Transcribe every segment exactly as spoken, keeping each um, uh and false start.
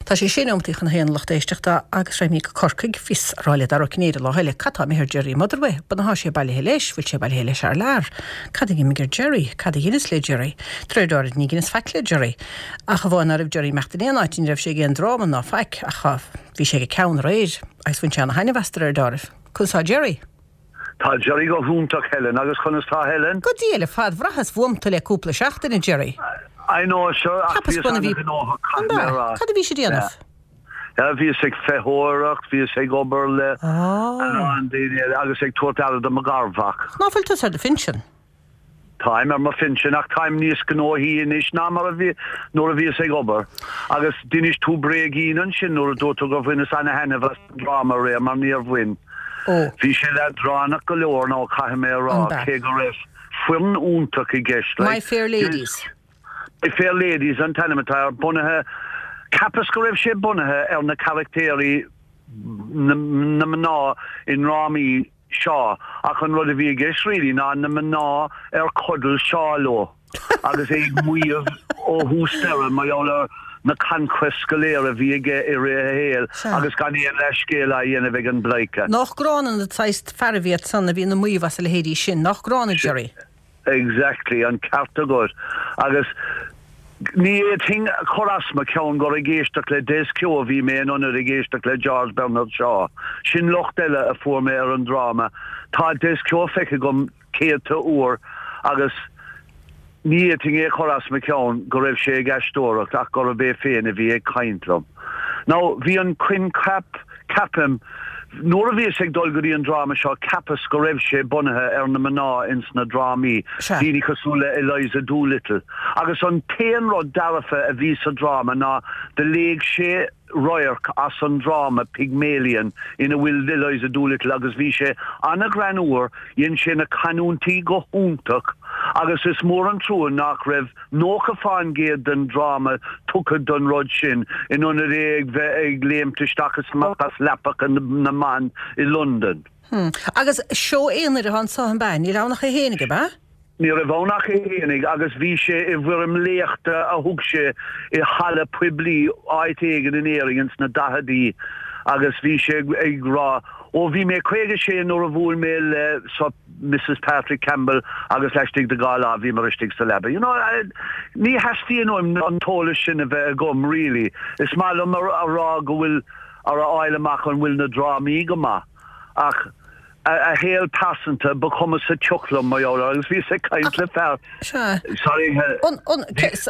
Tá sé sé nóiméad chun a haon, lucht éisteachta, agus raghaimid go Corcaigh. Bhíos ag rá le Dara Ó Cinnéide lá eile, cad tá imithe ar Jerry Motherway? B'fhéidir tá sé bailithe leis, bhfuil sé bailithe leis thar lear. Cad a d'imigh ar Jerry? Cad a dheineas le Jerry? De réir dealraimh ní dheineas faic le Jerry. Ach amháin ná raibh Jerry imeacht in aon áit, ní raibh sé ag aon dráma ná faic, ach bhí sé ag ceann aréir, agus bhain sé ana thaitneamh as de réir dealraimh. Conas tá Jerry? Tá Jerry go hiontach, Helen, agus conas tá Helen? Go diail ar fad, bhraitheas uaim tú le cúpla seachtain, a Jerry. I know, sure, ach Cheapas bhíos bun a bhí an-ghnóthach, An caithfidh mé a rá. Cad a bhí sé déanamh? Yeah, bhíos ag feitheoireacht, bhíos ag obair le Ah. a lán daoine eile agus ag tabhairt aire do mo gharmhac. Ná fuil tusa ar do phinsean? Táim ar mo phinsean ach táim níos gnóthaí anois ná mar a bhí nuair a bhíos ag obair. Agus d'inis tú bréigín ansin nuair a dúirt tú gur bhaineas ana-thaitneamh as an dráma aréir mar níor bhain. Ó. Bhí sé leadránach go leor nó caithfidh mé a rá An b'ea? cé go raibh foireann iontach i gceist. My Like, Fair Ladies. My Fair Ladies an t-ainm atá air, bunaithe, cheapas go raibh sé bunaithe ar na carachtéirí na, na mná i ndrámaí Shaw, ach an rud a bhí i gceist really ná na mná ar chodail Shaw leo agus é ag maíomh ó thús deireadh mar gheall ar na conquests go léir a bhí aige i rith a shaoil Sea. agus gan aon leithscéal á dhéanamh ag an bpleidhce. Nach gránna na saghas fearaibh iad san a bhíonn ag maíomh as a leithéidí sin, nach gránna, Jerry? Exactly, an ceart agat. Agus ní fhéadfainn a chur as mo cheann gur ag éisteacht le Des Keogh a bhí mé in ionad ag éisteacht le George Bernard Shaw. Sin locht eile a fuair mé ar an dráma. Tá Des Keogh feicthe agam céadta uair agus ní fhéadfainn é a chur as mo cheann go raibh sé ag aisteoireacht ach gurb é féin a bhí ag caint liom. Now, bhí an coincheap, ceapaim, nuair a bhíos ag dul go dtí an dráma seo, cheapas go raibh sé bunaithe ar na mná ins na drámaí, Sea. daoine cosúil le Eliza Doolittle. Agus an t-aon rud dearfa a bhí sa dráma ná do léigh sé radharc as an dráma Pygmalion ina bhfuil Eliza Doolittle agus bhí sé an-ghreannmhar, dhein sé na canúintí go hiontach agus is mór an trua nach raibh nócha faoin gcéad den dráma tugtha don rud sin in ionad é ag bheith ag léimt isteach is amach as leapacha na mban i Londain. Hmm. Agus seó aonair atá anso an b'ea? Níl ann ach é fhéinig, ab ea? Ní raibh ann ach é fhéinig agus bhí sé i bhfoirm léachta a thug sé i halla poiblí áit éigin in Éirinn ins na daicheadaí agus bhí sé ag rá, Ó bhí mé caoga sé nuair a bhuail mé le Mrs Patrick Campbell agus laistigh de dhá lá bhíomar istigh sa leaba. You know, ní theastaíonn uaim an t-eolas sin a bheith agam really. Is maith liom a rá go bhfuil ar a fháil amach an bhfuil na drámaí go maith ach a shaol pearsanta ba chuma sa tsioc liom mar gheall air agus bhíos ag caint le fear. Sea. Sorry. An, an,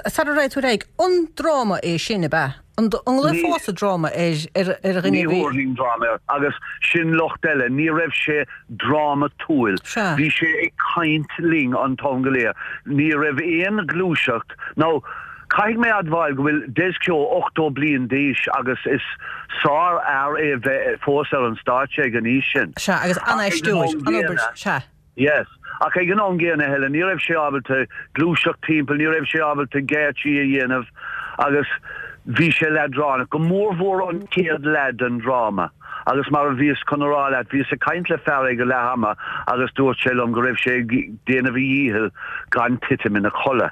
sara raghaidh tú ar aghaidh, an dráma é sin, ab ea? An nglaofása dráma ar, ar, ar dhuine Ní a bhí. thabharfainn dráma air agus sin locht eile, ní raibh sé drámatúil. Sea. Bhí sé ag caint linn an t-am go léir. Ní raibh aon ghluaiseacht. Now, caithfidh mé admháil go bhfuil Des Keogh ochtó bliain d'aois agus is sárfhear é bheith fós ar an stáitse ag an aois sin. Sea, agus Ach ag an an-aisteoir, am an-obair, gcéanna, sea. Yes. Ach ag an am gcéanna, Helen, ní raibh sé ábalta gluaiseacht timpeall, ní raibh sé ábalta geáitsí a dhéanamh agus bhí sé leadránach, go mórmhór an chéad leath den dráma. Agus mar a bhíos chun a rá leat, bhíos ag caint le fear ag leath ama agus dúirt sé liom go raibh sé ag déanamh a dhícheall gan titim ina chodladh.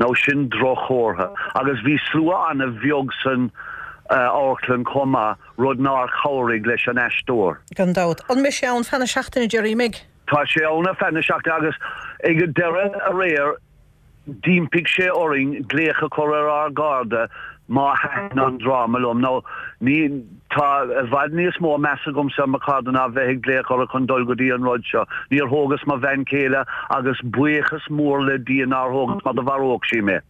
Now sin droch-chomhartha. Agus bhí slua an-bheag san amharclann chomh maith, rud nár chabhraigh leis an aisteoir. Gan dabht. An mbeidh sé ann feadh na seachtaine, Jerry, an mbeidh? Tá sé ann ar feadh na seachtaine agus ag an deireadh aréir d'impigh sé orainn glaoch a chur ar ár gcairde má thaitin an dráma liom. Now ní, tá i bhfad níos mó meas agamsa ar mo chairde ná bheith ag glaoch orthu chun dul go dtí an rud seo. Níor thógas mo bhean chéile agus buíochas mór le Dia nár thógas mar do mharódh sí mé.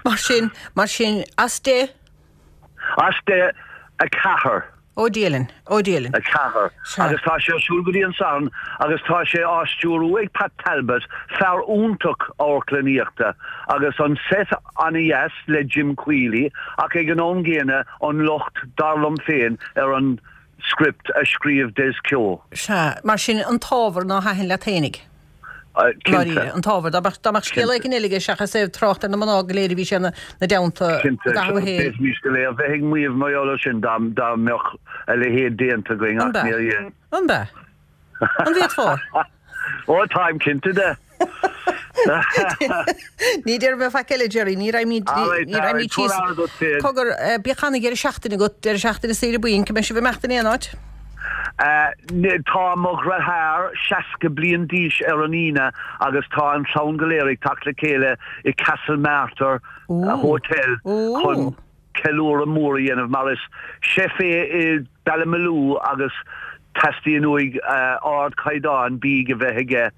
Mar sin, mar sin, as deich? As deich, a ceathair. Ó Dia linn, ó Dia linn. A ceathair. Sea. Agus tá sé ar siúl go dtí an Satharn agus tá sé á stiúrú ag Pat Talbot, fear iontach amharclannaíochta, agus an set an-dheas le Jim Quealy, ach ag an am gcéanna an locht, dar liom féin, ar an script a scríobh Des Keogh. Sea, mar sin an t-ábhar ná thaitin leat fhéinig. Cinnte. Dáiríre, an t-ábhar. Dá mbeadh, dá mbeadh scéal Cinnte. éigin eile aige seachas é ag trácht ar na mná go léir a bhí sé ina dteannta i Cinnte. gcaitheamh a shaoil. D'fhéadfaimis go léir bheith ag maíomh mar gheall air sin dá, dá mbeadh a leithéid déanta againn An ach b'ea? níor dhein. An b'ea? An bhféadfá? Ó, táim cinnte de. Ní déarfaidh mé faic eile, Jerry, ní raghaimid ní raghaimid síos. Cogar, bíodh ana-dheireadh seachtaine agat, deireadh seachtaine saoire bainc, an mbeidh sibh ag imeacht in aon áit? Tá mo dheartháir seasca bliain d'aois ar an Aoine agus tá an chlann go léir ag teacht le chéile i Castlemartyr Hotel chun ceiliúradh mór a dhéanamh mar is chef é i Ballymaloe agus teastaíonn uaidh ardchaighdeán bídh a bheith aige.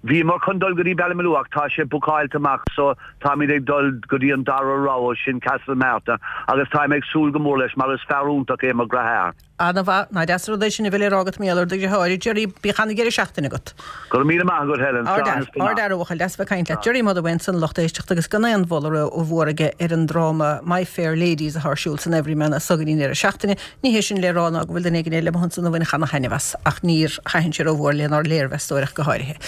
Bhíomar chun dul go dtí Ballymaloe ach tá sé bookáilte amach so táimid ag dul go dtí an dara rogha, sin Castlemartyr, agus táim ag súil go mór leis mar is fear iontach é mo dheartháir. Ana-mhaith, nach deas an rud é sin a bheith le rá agat mar gheall ar do dheartháir. Jerry, bíodh ana-dheireadh seachtaine agat. Go raibh míle maith agat, Helen. Slán is beannacht. Ard-fhear, a bhuachaill, deas a bheith ag caint leat. Jerry Motherway ansan, lucht éisteachta, agus gan aon mholadh rómhór aige ar an dráma My Fair Ladies atá ar siúl san Everyman anseo an deireadh seachtaine. Ní hé sin le rá ná go bhfuil duine éigin eile amuigh ansan a bhainfeadh ana-thaitneamh as, ach níor thaitin sé rómhór lenár léirmheastóir ach go háirithe.